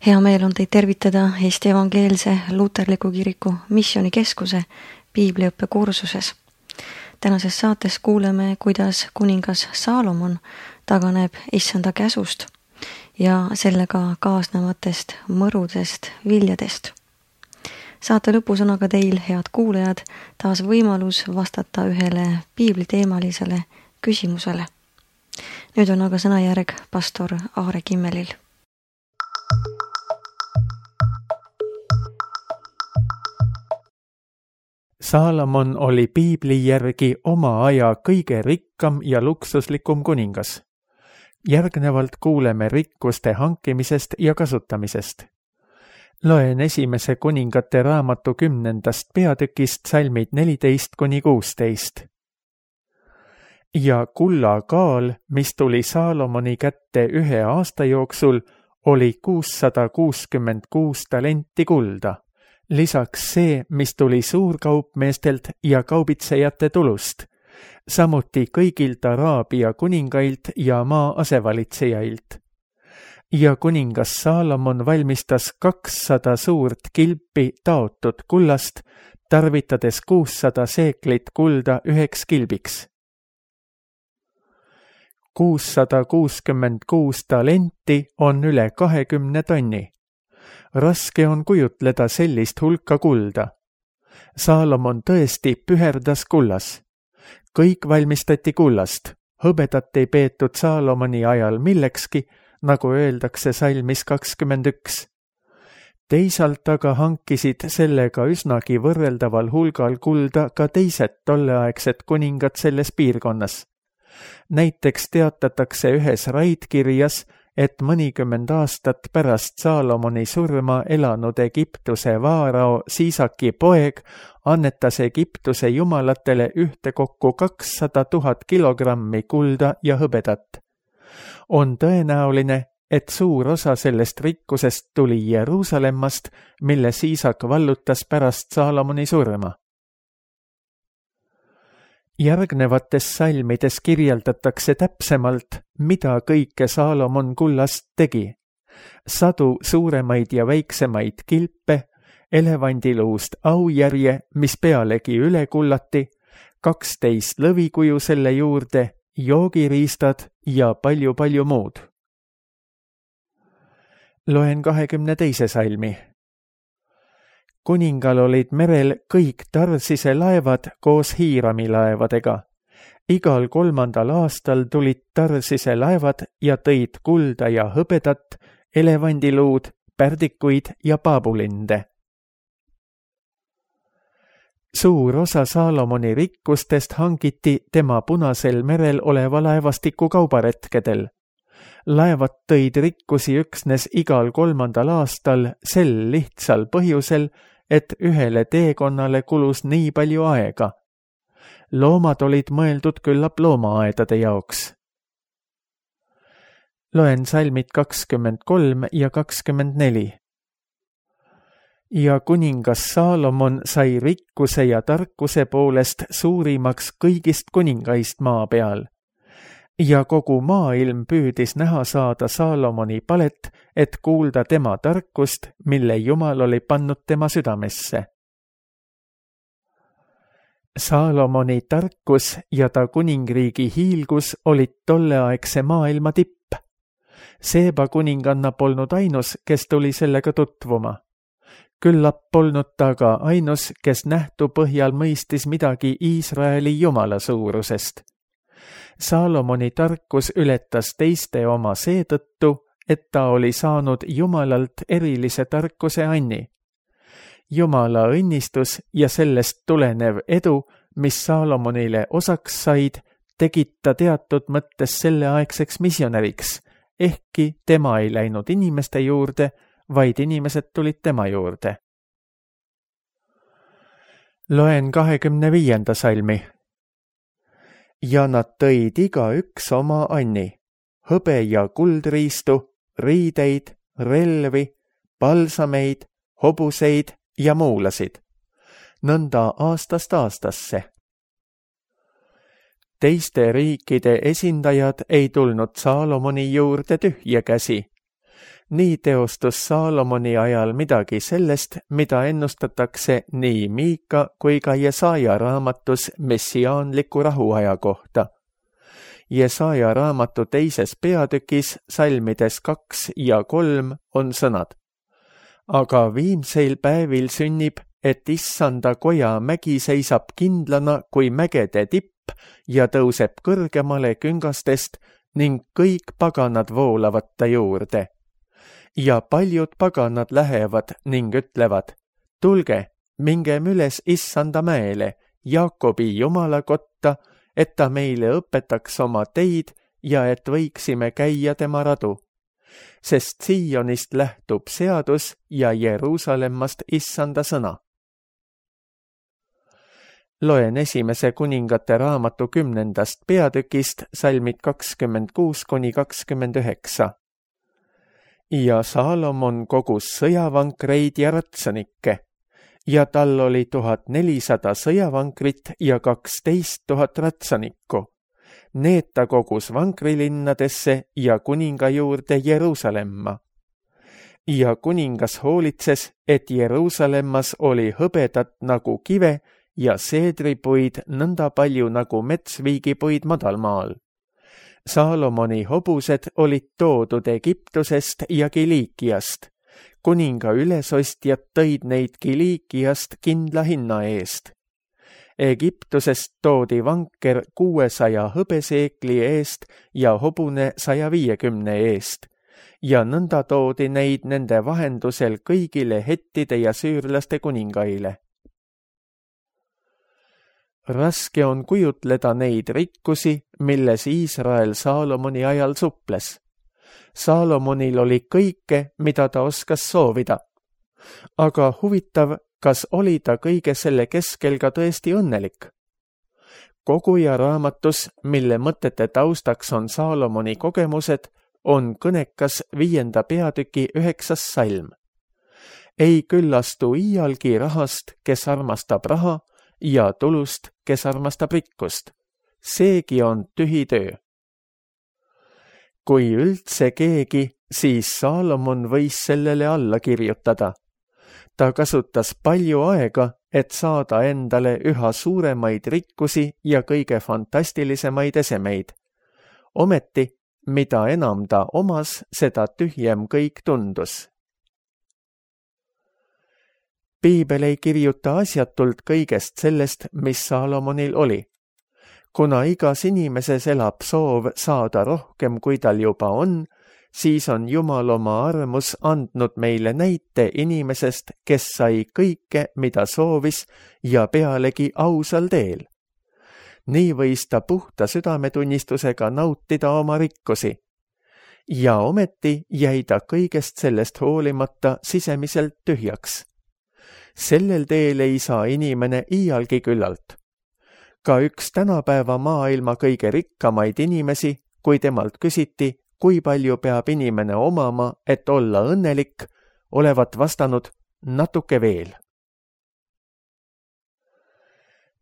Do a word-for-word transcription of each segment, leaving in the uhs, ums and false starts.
Hea meel on teid tervitada Eesti Evangeelse Luterliku Kiriku missioonikeskuse piibliõppe kursuses. Tänases saates kuuleme, kuidas kuningas Saalomon taganeb issanda käsust ja sellega kaasnevatest mõrudest viljadest. Saate lõpus on aga teil, head kuulajad, taas võimalus vastata ühele piibliteemalisele küsimusele. Nüüd on aga sõnajärg pastor Aare Kimmelil. Saalomon oli piibli järgi oma aja kõige rikkam ja luksuslikum kuningas. Järgnevalt kuuleme rikkuste hankimisest ja kasutamisest. Loen esimese kuningate raamatu kümnendast peatükist salmid neliteist kuni kuusteist. Ja kulla kaal, mis tuli Saalomoni kätte ühe aasta jooksul, oli kuussada kuuskümmend kuus talenti kulda. Lisaks see, mis tuli suurkaupmeestelt ja kaubitsejate tulust, samuti kõigilt Araabia kuningailt ja maa asevalitsejail. Ja kuningas Saalomon valmistas kakssada suurt kilpi taotud kullast, tarvitades kuussada seeklit kulda üheks kilbiks. kuussada kuuskümmend kuus talenti on üle kahekümne tonni. Raske on kujutleda sellist hulka kulda. Saalomon tõesti püherdas kullas. Kõik valmistati kullast. Hõbedat ei peetud Saalomoni ajal millekski, nagu öeldakse salmis kakskümmend üks. Teisalt aga hankisid sellega üsnagi võrreldaval hulgal kulda ka teised tolleaegsed kuningad selles piirkonnas. Näiteks teatatakse ühes raidkirjas, et mõnikümmend aastat pärast Saalomoni surma elanud Egiptuse vaarao Siisaki poeg annetas Egiptuse jumalatele ühtekokku kakssada tuhat kilogrammi kulda ja hõbedat. On tõenäoline, et suur osa sellest rikkusest tuli Jeruusalemmast, mille Siisak vallutas pärast Saalomoni surma. Järgnevates salmides kirjeldatakse täpsemalt, mida kõike Saalomon kullast tegi. Sadu suuremaid ja väiksemaid kilpe, elevandiluust aujärje, mis pealegi üle kullati, kaksteist lõvikuju selle juurde, joogiriistad ja palju-palju muud. Loen kahekümne teise salmi. Kuningal olid merel kõik Tarsise laevad koos Hiirami laevadega. Igal kolmandal aastal tulid Tarsise laevad ja tõid kulda ja hõbedat, elevandiluud, pärdikuid ja paabulinde. Suur osa Saalomoni rikkustest hangiti tema Punasel merel oleva laevastiku kaubaretkedel. Laevad tõid rikkusi üksnes igal kolmandal aastal sel lihtsal põhjusel, et ühele teekonnale kulus nii palju aega. Loomad olid mõeldud küllap loomaaedade jaoks. Loen salmid kakskümmend kolm ja kakskümmend neli. Ja kuningas Saalomon sai rikkuse ja tarkuse poolest suurimaks kõigist kuningaist maa peal. Ja kogu maailm püüdis näha saada Saalomoni palet, et kuulda tema tarkust, mille Jumal oli pannud tema südamesse. Saalomoni tarkus ja ta kuningriigi hiilgus olid tolleaegse maailma tipp. Seeba kuninganna polnud ainus, kes tuli sellega tutvuma. Küllap polnud ta ka ainus, kes nähtu põhjal mõistis midagi Iisraeli Jumala suurusest. Saalomoni tarkus ületas teiste oma seetõttu, et ta oli saanud Jumalalt erilise tarkuse anni. Jumala õnnistus ja sellest tulenev edu, mis Saalomonile osaks said, tegid ta teatud mõttes selleaegseks missionäriks, ehkki tema ei läinud inimeste juurde, vaid inimesed tulid tema juurde. Loen kahekümne viienda salmi. Ja nad tõid iga üks oma anni, hõbe ja kuldriistu, riideid, relvi, palsameid, hobuseid ja muulasid, nõnda aastast aastasse. Teiste riikide esindajad ei tulnud Saalomoni juurde tühja käsi. nii teostus Saalomoni ajal midagi sellest, mida ennustatakse nii Miika kui ka Jesaja raamatus messiaanliku rahuaja kohta. Jesaja raamatu teises peatükis salmides kaks ja kolm on sõnad. Aga viimseil päevil sünnib, et issanda koja mägi seisab kindlana kui mägede tipp ja tõuseb kõrgemale küngastest ning kõik paganad voolavad ta juurde. Ja paljud paganad lähevad ning ütlevad, tulge, mingem üles issanda mäele, Jaakobi Jumala kotta, et ta meile õpetaks oma teid ja et võiksime käia tema radu. Sest Siionist lähtub seadus ja Jeruusalemmast issanda sõna. Loen esimese kuningate raamatu kümnendast peatükist salmid kakskümmend kuus kuni kakskümmend üheksa. Ja Saalomon kogus sõjavankreid ja ratsanikke, ja tal oli tuhat nelisada sõjavankrit ja kaksteist tuhat ratsanikku. Need ta kogus vankrilinnadesse ja kuninga juurde Jeruusalemma. Ja kuningas hoolitses, et Jeruusalemmas oli hõbedat nagu kive ja seedripuid nõnda palju nagu metsviigipuid madalmaal. Saalomoni hobused olid toodud Egiptusest ja Kiliikiast. Kuninga ülesostjad tõid neid Kiliikiast kindla hinna eest. Egiptusest toodi vanker kuuesaja hõbeseekli eest ja hobune saja viiekümne eest. Ja nõnda toodi neid nende vahendusel kõigile hettide ja süürlaste kuningaile. Raske on kujutleda neid rikkusi, milles Iisrael Saalomoni ajal suples. Saalomonil oli kõike, mida ta oskas soovida. Aga huvitav, kas oli ta kõige selle keskel ka tõesti õnnelik? Koguja raamatus, mille mõtete taustaks on Saalomoni kogemused, on kõnekas viienda peatüki üheksas salm. Ei küllastu iialgi rahast, kes armastab raha, ja tulust, kes armastab rikkust. Seegi on tühi töö. Kui üldse keegi, siis Saalomon võis sellele alla kirjutada. Ta kasutas palju aega, et saada endale üha suuremaid rikkusi ja kõige fantastilisemaid esemeid. Ometi, mida enam ta omas, seda tühjem kõik tundus. Piibel ei kirjuta asjatult kõigest sellest, mis Saalomonil oli. Kuna igas inimeses elab soov saada rohkem, kui tal juba on, siis on Jumal oma armus andnud meile näite inimesest, kes sai kõike, mida soovis ja pealegi ausal teel. Nii võis ta puhta südametunnistusega nautida oma rikkusi. Ja ometi jäi ta kõigest sellest hoolimata sisemiselt tühjaks. Sellel teel ei saa inimene iialgi küllalt. Ka üks tänapäeva maailma kõige rikkamaid inimesi, kui temalt küsiti, kui palju peab inimene omama, et olla õnnelik, olevat vastanud natuke veel.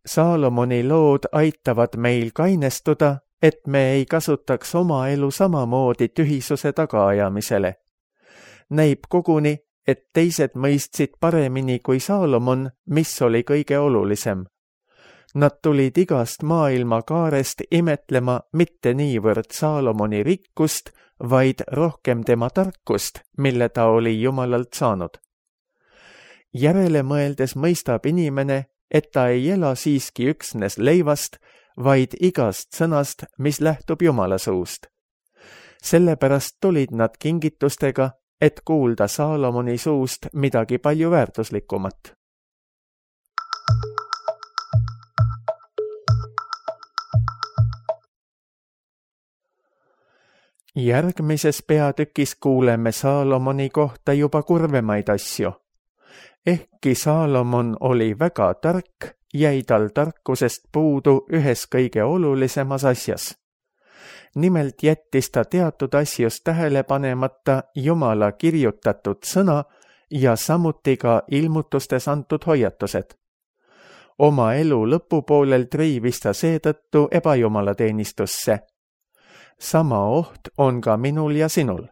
Saalomoni lood aitavad meil kainestuda, et me ei kasutaks oma elu samamoodi tühisuse tagaajamisele. Näib koguni, et teised mõistsid paremini kui Saalomon, mis oli kõige olulisem. Nad tulid igast maailma kaarest imetlema mitte niivõrd Saalomoni rikkust, vaid rohkem tema tarkust, mille ta oli Jumalalt saanud. Järele mõeldes mõistab inimene, et ta ei ela siiski üksnes leivast, vaid igast sõnast, mis lähtub Jumala suust. Sellepärast tulid nad kingitustega, et kuulda Saalomoni suust midagi palju väärtuslikumat. Järgmises peatükis kuuleme Saalomoni kohta juba kurvemaid asju. Ehkki Saalomon oli väga tark, jäi tal tarkusest puudu ühes kõige olulisemas asjas. Nimelt jättis ta teatud asjus tähele panemata Jumala kirjutatud sõna ja samuti ka ilmutustes antud hoiatused. Oma elu lõpupoolel triivis ta seetõttu ebajumalateenistusse. Sama oht on ka minul ja sinul.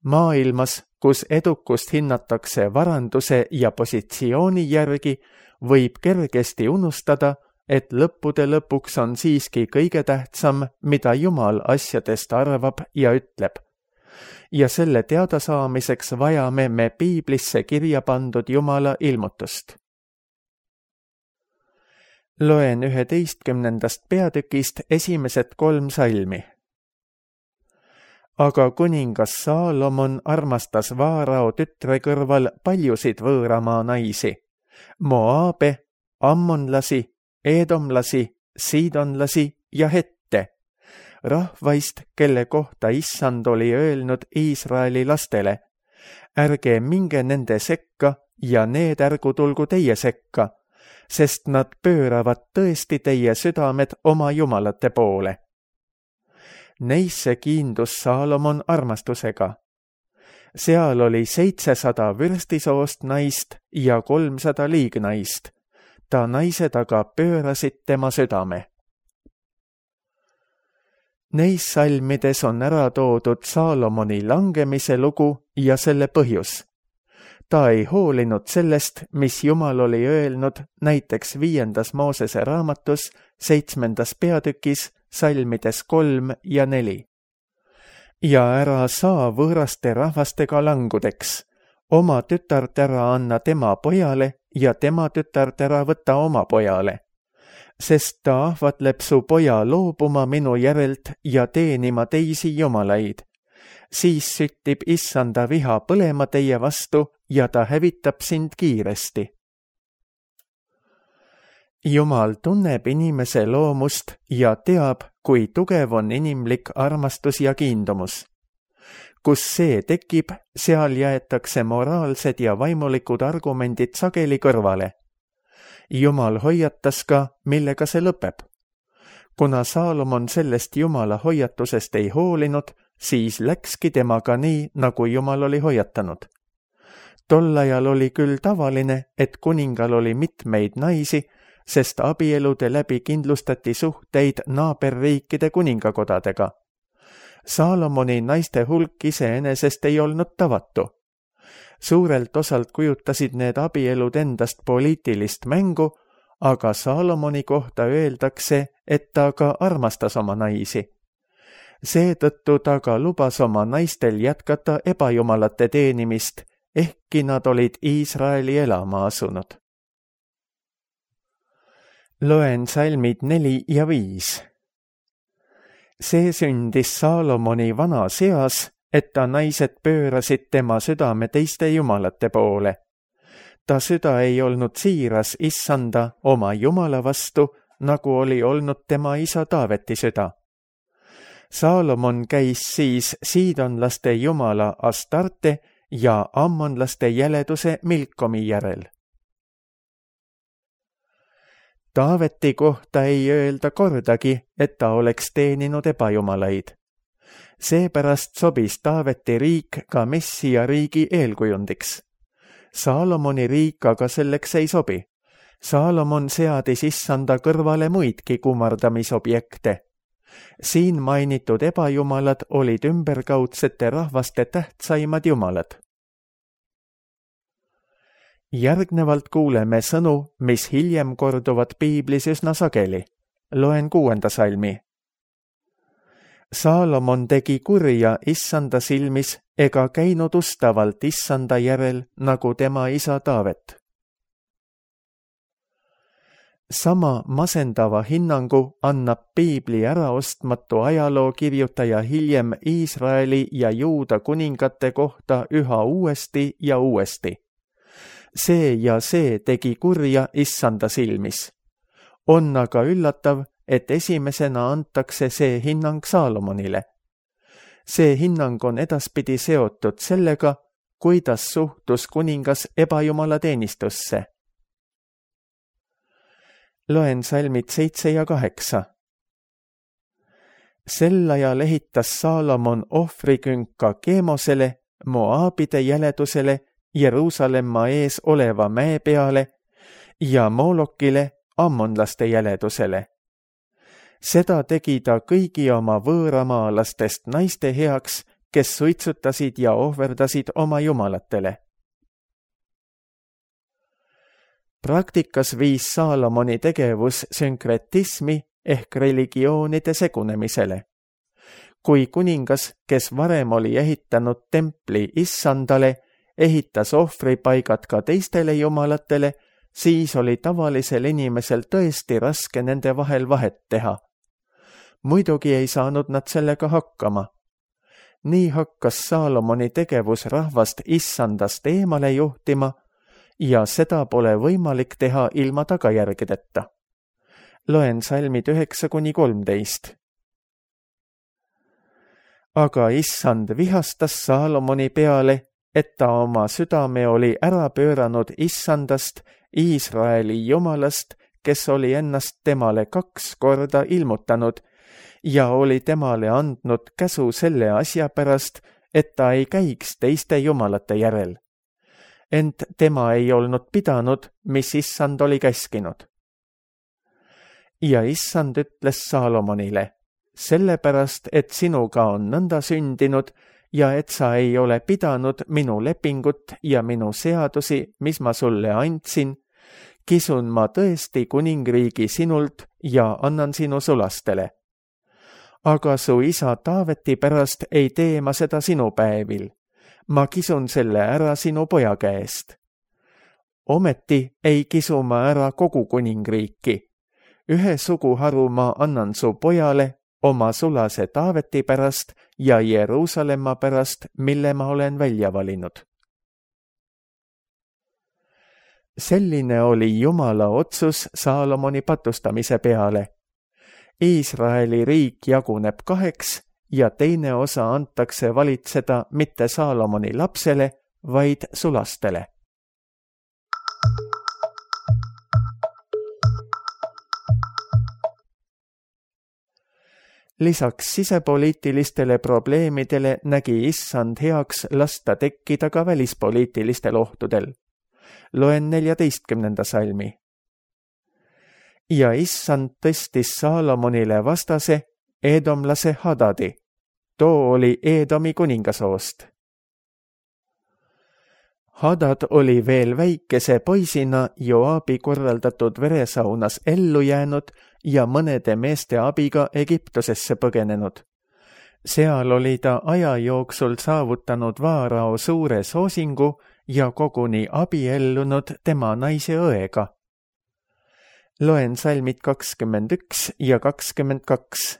Maailmas, kus edukust hinnatakse varanduse ja positsiooni järgi, võib kergesti unustada, et lõppude lõpuks on siiski kõige tähtsam, mida Jumal asjadest arvab ja ütleb. Ja selle teadasaamiseks vajame me piiblisse kirja pandud Jumala ilmutust. Loen üheteistkümnendast peatükist esimesed kolm salmi. Aga kuningas Saalomon armastas Vaarao tütre kõrval paljusid võõramaa naisi, Moaabe, ammonlasi, eedomlasi, siidonlasi ja hette, rahvaist, kelle kohta Issand oli öelnud Iisraeli lastele, ärge minge nende sekka ja need ärgu tulgu teie sekka, sest nad pööravad tõesti teie südamed oma jumalate poole. Neisse kiindus Saalomon armastusega. Seal oli seitsesada vürstisoost naist ja kolmsada liignaist. Ta naised aga pöörasid tema südame. Neis salmides on ära toodud Saalomoni langemise lugu ja selle põhjus. Ta ei hoolinud sellest, mis Jumal oli öelnud näiteks viiendas Moosese raamatus, seitsmendas peatükis, salmides kolm ja neli. Ja ära saa võõraste rahvastega langudeks, oma tütart ära anna tema pojale ja tema tütart ära võtta oma pojale, sest ta ahvatleb su poja loobuma minu järelt ja teenima teisi jumalaid. Siis süttib Issanda viha põlema teie vastu ja ta hävitab sind kiiresti. Jumal tunneb inimese loomust ja teab, kui tugev on inimlik armastus ja kiindumus. Kus see tekib, seal jäetakse moraalsed ja vaimulikud argumendid sageli kõrvale. Jumal hoiatas ka, millega see lõpeb. Kuna Saalomon sellest Jumala hoiatusest ei hoolinud, siis läkski temaga nii, nagu Jumal oli hoiatanud. Tol ajal oli küll tavaline, et kuningal oli mitmeid naisi, sest abielude läbi kindlustati suhteid naaberriikide kuningakodadega. Saalomoni naiste hulk iseenesest ei olnud tavatu. Suurelt osalt kujutasid need abielud endast poliitilist mängu, aga Saalomoni kohta öeldakse, et ta ka armastas oma naisi. Seetõttu ta ka lubas oma naistel jätkata ebajumalate teenimist, ehkki nad olid Iisraeli elama asunud. Loen salmid neli ja viis. See sündis Saalomoni vanas eas, et ta naised pöörasid tema südame teiste jumalate poole. Ta süda ei olnud siiras Issanda oma jumala vastu, nagu oli olnud tema isa Taaveti süda. Saalomon käis siis siidonlaste jumala Astarte ja ammonlaste jäleduse Milkomi järel. Taaveti kohta ei öelda kordagi, et ta oleks teeninud ebajumalaid. Seepärast sobis Taaveti riik ka Messia riigi eelkujundiks. Saalomoni riik aga selleks ei sobi. Saalomon seadis Issanda kõrvale muidki kummardamisobjekte. Siin mainitud ebajumalad olid ümberkaudsete rahvaste tähtsaimad jumalad. Järgnevalt kuuleme sõnu, mis hiljem korduvad piiblis üsna sageli. Loen kuuenda salmi. Saalomon tegi kurja Issanda silmis ega käinud ustavalt Issanda järel, nagu tema isa Taavet. Sama masendava hinnangu annab piibli äraostmatu ajaloo kirjutaja hiljem Iisraeli ja Juuda kuningate kohta üha uuesti ja uuesti. See ja see tegi kurja Issanda silmis. On aga üllatav, et esimesena antakse see hinnang Saalomonile. See hinnang on edaspidi seotud sellega, kuidas suhtus kuningas ebajumala teenistusse. Loen salmid seitse ja kaheksa. Sel ajal ehitas Saalomon ohvrikünka Keemosele, Moaabide jäledusele, Jeruusalemma ees oleva mäe peale ja Moolokile, ammonlaste jäledusele. Seda tegi ta kõigi oma võõramaalastest naiste heaks, kes suitsutasid ja ohverdasid oma jumalatele. Praktikas viis Saalomoni tegevus sünkretismi ehk religioonide segunemisele. Kui kuningas, kes varem oli ehitanud templi issandale, ehitas ohvripaigad ka teistele jumalatele, siis oli tavalisel inimesel tõesti raske nende vahel vahet teha. Muidugi ei saanud nad sellega hakkama. Nii hakkas Saalomoni tegevus rahvast issandast eemale juhtima ja seda pole võimalik teha ilma tagajärgedeta. Loen salmid üheksa kuni kolmteist. Aga issand vihastas Saalomoni peale, et ta oma südame oli ära pööranud issandast, Iisraeli jumalast, kes oli ennast temale kaks korda ilmutanud ja oli temale andnud käsu selle asja pärast, et ta ei käiks teiste jumalate järel. Ent tema ei olnud pidanud, mis issand oli käskinud. Ja issand ütles Saalomonile, sellepärast, et sinuga on nõnda sündinud ja et sa ei ole pidanud minu lepingut ja minu seadusi, mis ma sulle andsin, kisun ma tõesti kuningriigi sinult ja annan sinu sulastele. Aga su isa Taaveti pärast ei tee ma seda sinu päevil. Ma kisun selle ära sinu poja käest. Ometi ei kisu ma ära kogu kuningriiki. Ühe suguharu ma annan su pojale oma sulase Taaveti pärast ja Jeruusalemma pärast, mille ma olen välja valinud. Selline oli Jumala otsus Saalomoni patustamise peale. Iisraeli riik jaguneb kaheks ja teine osa antakse valitseda mitte Saalomoni lapsele, vaid sulastele. Lisaks sisepoliitilistele probleemidele nägi issand heaks lasta tekkida ka välispoliitilistel ohtudel. Loen neljateistkümnenda salmi. Ja issand tõstis Saalomonile vastase eedomlase Hadadi. Too oli Eedomi kuningasoost. Hadad oli veel väikese poisina Joabi korraldatud veresaunas ellu jäänud ja mõnede meeste abiga Egiptusesse põgenenud. Seal oli ta aja jooksul saavutanud Vaarao suure soosingu ja koguni abiellunud tema naise õega. Loen salmid kakskümmend üks ja kakskümmend kaks.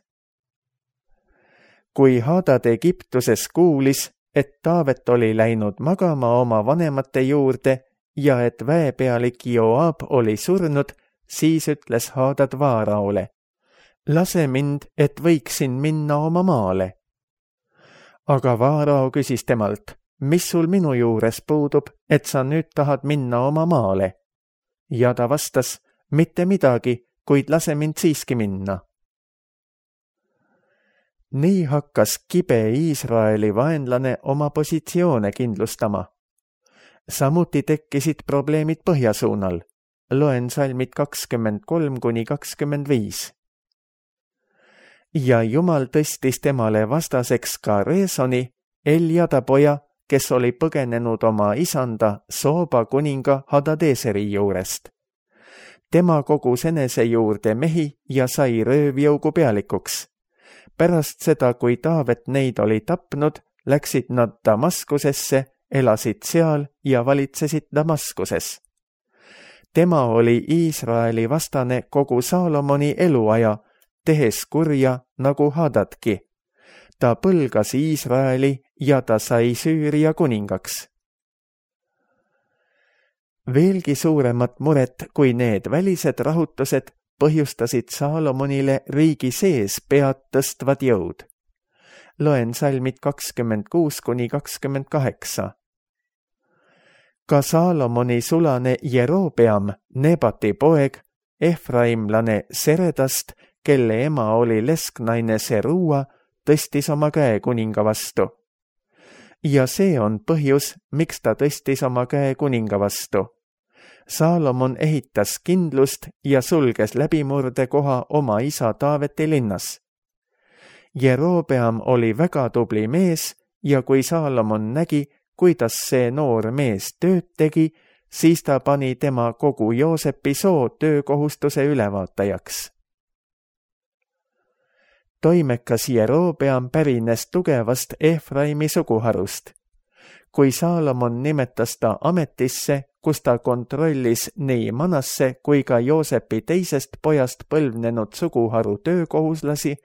Kui Hadad Egiptuses kuulis, et Taavet oli läinud magama oma vanemate juurde ja et väepealik Joab oli surnud, siis ütles Hadad Vaaraole, lase mind, et võiksin minna oma maale. Aga Vaarao küsis temalt, mis sul minu juures puudub, et sa nüüd tahad minna oma maale? Ja ta vastas, mitte midagi, kuid lase mind siiski minna. Nii hakkas kibe Iisraeli vaenlane oma positsioone kindlustama. Samuti tekkisid probleemid põhjasuunal. Loen salmid kakskümmend kolm kuni kakskümmend viis. Ja Jumal tõstis temale vastaseks ka Reesoni, Eljada poja, kes oli põgenenud oma isanda Sooba kuninga Hadadeseri juurest. Tema kogus enese juurde mehi ja sai röövjõugu pealikuks. Pärast seda, kui Taavet neid oli tapnud, läksid nad Damaskusesse, elasid seal ja valitsesid Damaskuses. Tema oli Iisraeli vastane kogu Saalomoni eluaja, tehes kurja nagu Hadadki. Ta põlgas Iisraeli ja ta sai Süüria kuningaks. Veelgi suuremat muret kui need välised rahutused põhjustasid Saalomonile riigi sees pead tõstvad jõud. Loen salmid kakskümmend kuus kuni kakskümmend kaheksa. Ka Saalomoni sulane Jerobeam, Nebati poeg, Efraimlane Seredast, kelle ema oli lesknaine Serua, tõstis oma käe kuninga vastu. Ja see on põhjus, miks ta tõstis oma käe kuninga vastu. Saalomon ehitas kindlust ja sulges läbimurde koha oma isa Taaveti linnas. Jerobeam oli väga tubli mees ja kui Saalomon nägi, kuidas see noor mees tööd tegi, siis ta pani tema kogu Joosepi soo töökohustuse ülevaatajaks. Toimekas Jerobeam pärines tugevast Efraimi suguharust. Kui Saalomon nimetas ta ametisse, kus ta kontrollis nii Manasse kui ka Joosepi teisest pojast põlvnenud suguharu töökohuslasi,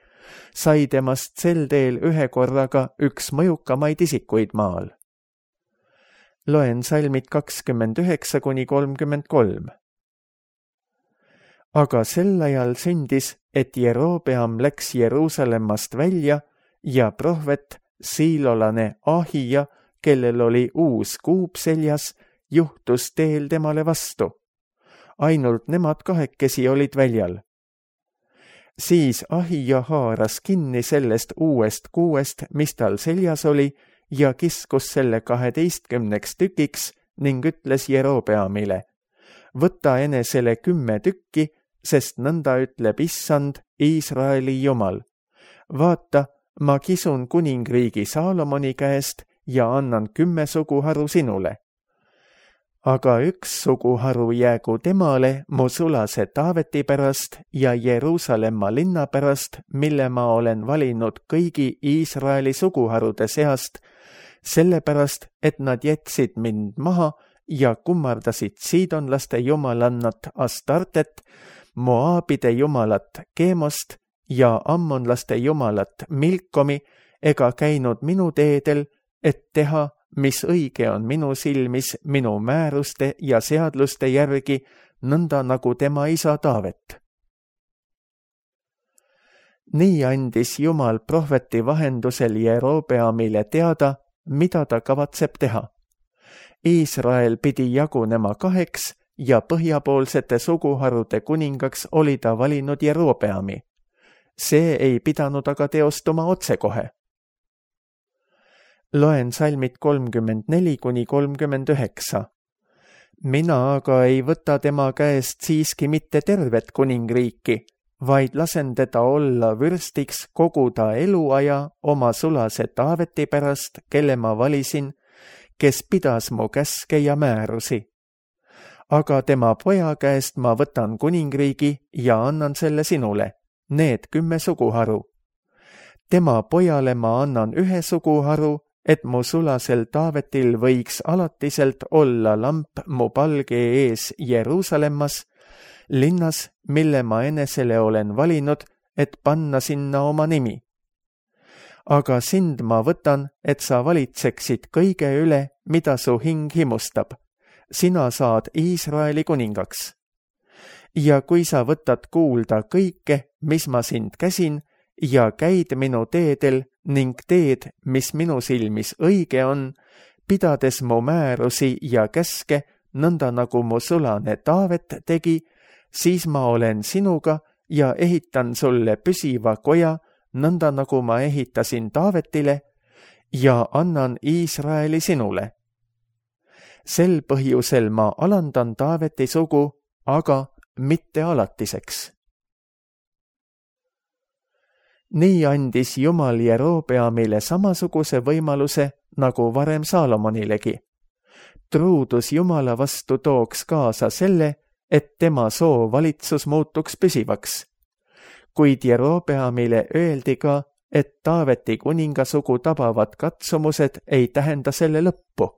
sai temast sel teel ühe korraga üks mõjukamaid isikuid maal. Loen salmid kakskümmend üheksa kuni kolmkümmend kolm. Aga sel ajal sündis, et Jerobeam läks Jeruusalemmast välja ja prohvet siilolane Ahija, kellel oli uus kuup seljas, juhtus teel temale vastu. Ainult nemad kahekesi olid väljal. Siis Ahija haaras kinni sellest uuest kuuest, mis tal seljas oli, ja kiskus selle kaheteistkümneks tükiks ning ütles Jerobeamile: võta enesele kümme tükki, sest nõnda ütleb Issand, Iisraeli Jumal. Vaata, ma kisun kuningriigi Saalomoni käest ja annan kümme suguharu sinule. Aga üks suguharu jäägu temale mu sulase Taaveti pärast ja Jeruusalemma linna pärast, mille ma olen valinud kõigi Iisraeli suguharude seast, sellepärast, et nad jätsid mind maha ja kummardasid siidonlaste jumalannat Astartet, Moaabide jumalat Kemost ja ammonlaste jumalat Milkomi, ega käinud minu teedel, et teha, mis õige on minu silmis minu määruste ja seadluste järgi, nõnda nagu tema isa Taavet. Nii andis Jumal prohveti vahendusel Jerobeamile teada, mida ta kavatseb teha. Iisrael pidi jagunema kaheks ja põhjapoolsete suguharude kuningaks oli ta valinud Jerobeami. See ei pidanud aga teostuma otsekohe. Loen salmid kolmkümmend neli kuni kolmkümmend üheksa. Mina aga ei võta tema käest siiski mitte tervet kuningriiki, vaid lasen teda olla vürstiks kogu ta eluaja oma sulase Taaveti pärast, kelle ma valisin, kes pidas mu käske ja määrusi. Aga tema poja käest ma võtan kuningriigi ja annan selle sinule, need kümme suguharu. Tema pojale ma annan ühe suguharu, et mu sulasel Taavetil võiks alatiselt olla lamp mu palge ees Jeruusalemmas, linnas, mille ma enesele olen valinud, et panna sinna oma nimi. Aga sind ma võtan, et sa valitseksid kõige üle, mida su hing himustab. Sina saad Iisraeli kuningaks. Ja kui sa võtad kuulda kõike, mis ma sind käsin, ja käid minu teedel ning teed, mis minu silmis õige on, pidades mu määrusi ja käske, nõnda nagu mu sulane Taavet tegi, siis ma olen sinuga ja ehitan sulle püsiva koja, nõnda nagu ma ehitasin Taavetile, ja annan Iisraeli sinule. Sel põhjusel ma alandan Taaveti sugu, aga mitte alatiseks. Nii andis Jumal Jerobeamile samasuguse võimaluse, nagu varem Saalomonilegi. Truudus Jumala vastu tooks kaasa selle, et tema soo valitsus muutuks püsivaks. Kuid Jerobeamile öeldi ka, et Taaveti kuningasugu tabavad katsumused ei tähenda selle lõppu.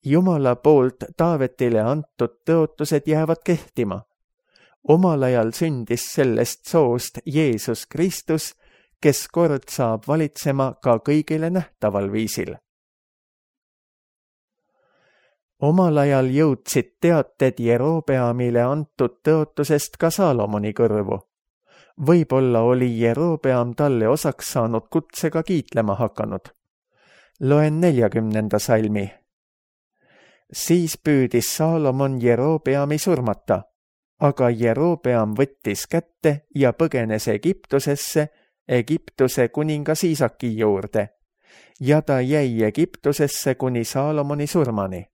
Jumala poolt Taavetile antud tõotused jäävad kehtima. Omal ajal sündis sellest soost Jeesus Kristus, kes kord saab valitsema ka kõigile nähtaval viisil. Omal ajal jõudsid teated Jerobeamile antud tõotusest ka Saalomoni kõrvu. Võib-olla oli Jerobeam talle osaks saanud kutsega kiitlema hakanud. Loen neljakümnenda salmi. Siis püüdis Saalomon Jerobeami surmata, aga Jerobeam võttis kätte ja põgenes Egiptusesse, Egiptuse kuningas Iisaki juurde, ja ta jäi Egiptusesse kuni Saalomoni surmani.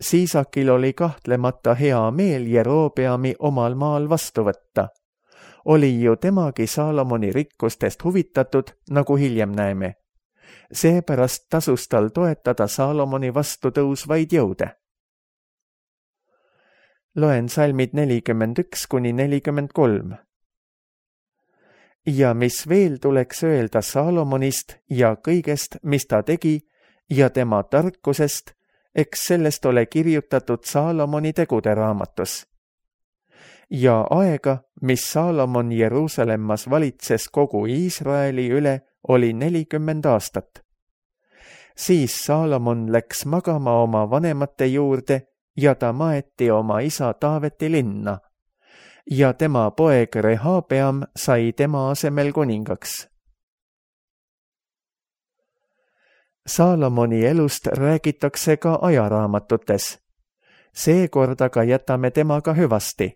Siisakil oli kahtlemata hea meel Jerobeami omal maal vastu võtta. oli ju temagi Saalomoni rikkustest huvitatud, nagu hiljem näeme. Seepärast tasus tal toetada Saalomoni vastu tõusvaid jõude. Loen salmid nelikümmend üks kuni nelikümmend kolm. Ja mis veel tuleks öelda Saalomonist ja kõigest, mis ta tegi, ja tema tarkusest, eks sellest ole kirjutatud Saalomoni tegude raamatus. Ja aega, mis Saalomon Jeruusalemmas valitses kogu Iisraeli üle, oli nelikümmend aastat. Siis Saalomon läks magama oma vanemate juurde ja ta maeti oma isa Taaveti linna. Ja tema poeg Rehabeam sai tema asemel kuningaks. Saalomoni elust räägitakse ka ajaraamatutes. Seekord aga jätame temaga hüvasti.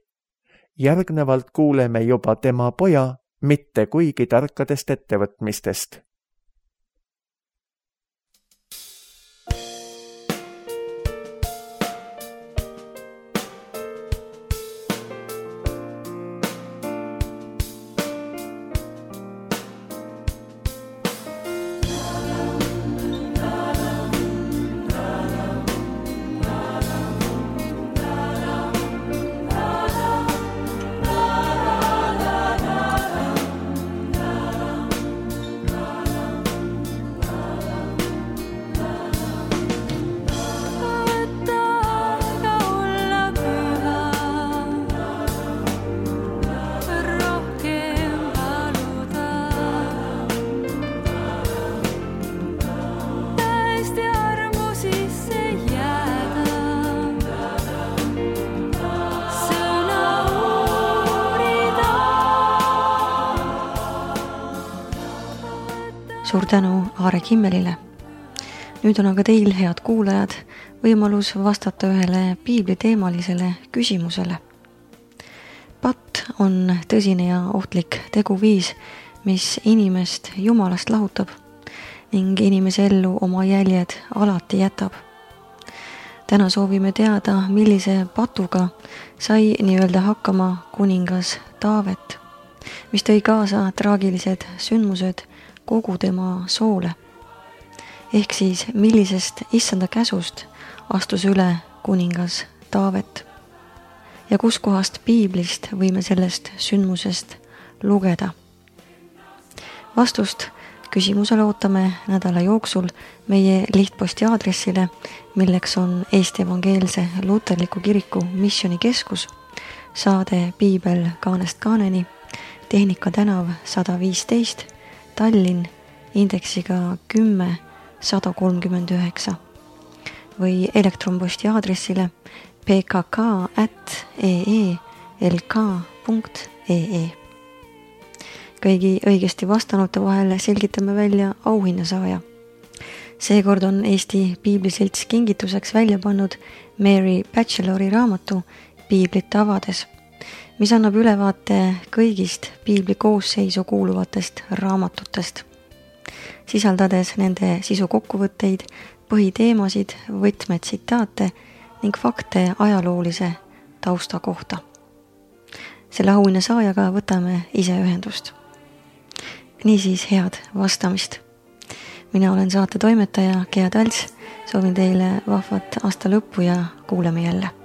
Järgnevalt kuuleme juba tema poja, mitte kuigi tarkadest ettevõtmistest. Suur tänu Aare Kimmelile. Nüüd on aga teil, head kuulajad, võimalus vastata ühele piibliteemalisele küsimusele. Patt on tõsine ja ohtlik teguviis, mis inimest Jumalast lahutab ning inimese ellu oma jäljed alati jätab. Täna soovime teada, millise patuga sai nii-öelda hakkama kuningas Taavet, mis tõi kaasa traagilised sündmused kogu tema soole. Ehk siis, millisest issanda käsust astus üle kuningas Taavet ja kuskohast piiblist võime sellest sündmusest lugeda. Vastust küsimusele ootame nädala jooksul meie lihtposti aadressile, milleks on Eesti Evangeelse Luterliku Kiriku Missioonikeskus, saade Piibel kaanest kaaneni, Tehnika tänav sada viisteist, Tallinn, indeksiga kümme sada kolmkümmend üheksa või elektronposti aadressile p k k at e e l k punkt e e. Kõigi õigesti vastanute vahel selgitame välja auhinnasaaja. Seekord on Eesti Piibliselts kingituseks välja pannud Mary Batchelori raamatu Piiblit avades, mis annab ülevaate kõigist piibli koosseisu kuuluvatest raamatutest, sisaldades nende sisu kokkuvõtteid, põhiteemasid, võtmetsitaate ning fakte ajaloolise tausta kohta. Selle auhinna saajaga võtame ise ühendust. Niisiis head vastamist. Mina olen saate toimetaja Gea Talts, soovin teile vahvat aasta lõppu ja kuuleme jälle.